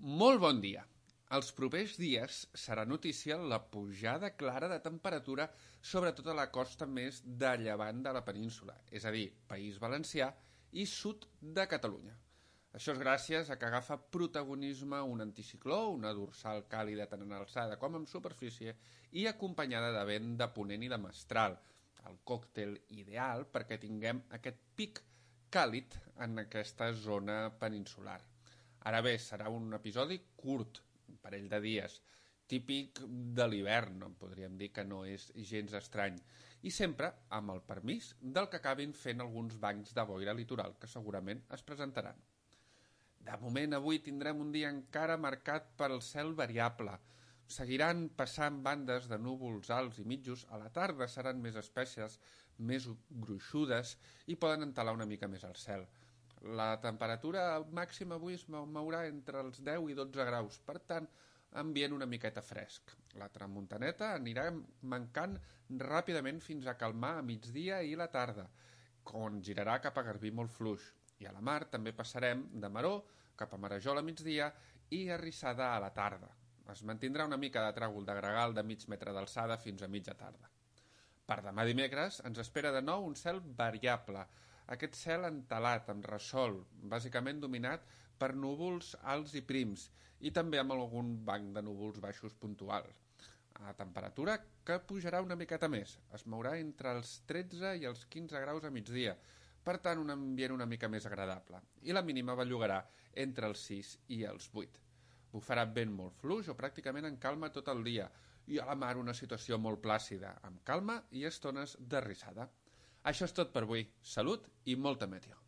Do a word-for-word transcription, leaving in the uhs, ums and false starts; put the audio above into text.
Molt bon dia. Els propers dies serà notícia la pujada clara de temperatura sobre tota la costa més de llevant de la península, és a dir, País Valencià i sud de Catalunya. Això és gràcies a que agafa protagonisme un anticicló, una dorsal càlida tant en alçada com en superfície i acompanyada de vent de ponent i de mestral, el còctel ideal perquè tinguem aquest pic càlid en aquesta zona peninsular. Ara bé, serà un episodi curt, un parell de dies, típic de l'hivern, podríem dir que no és gens estrany, i sempre amb el permís del que acabin fent alguns bancs de boira litoral que segurament es presentaran. De moment, avui tindrem un dia encara marcat per el cel variable. Seguiran passant bandes de núvols alts i mitjos, a la tarda seran més espesses, més gruixudes i poden entelar una mica més el cel. La temperatura màxima avui es mourà entre els deu i dotze graus, per tant, ambient una miqueta fresc. La tramuntaneta anirà mancant ràpidament fins a calmar a migdia i la tarda, on girarà cap a Garbí molt fluix. I a la mar també passarem de Maró cap a Marajol a migdia i a Rissada a la tarda. Es mantindrà una mica de tràgol de gregal de mig metre d'alçada fins a mitja tarda. Per demà dimecres ens espera de nou un cel variable, aquest cel entelat, amb ressol, bàsicament dominat per núvols alts i prims, i també amb algun banc de núvols baixos puntual. A temperatura que pujarà una miqueta més, es mourà entre els tretze i els quinze graus a migdia, per tant un ambient una mica més agradable, i la mínima bellugarà entre els sis i els vuit. Bufarà vent molt fluix o pràcticament en calma tot el dia, i a la mar una situació molt plàcida, amb calma i estones de rissada. Això és tot per avui. Salut i molta meteo.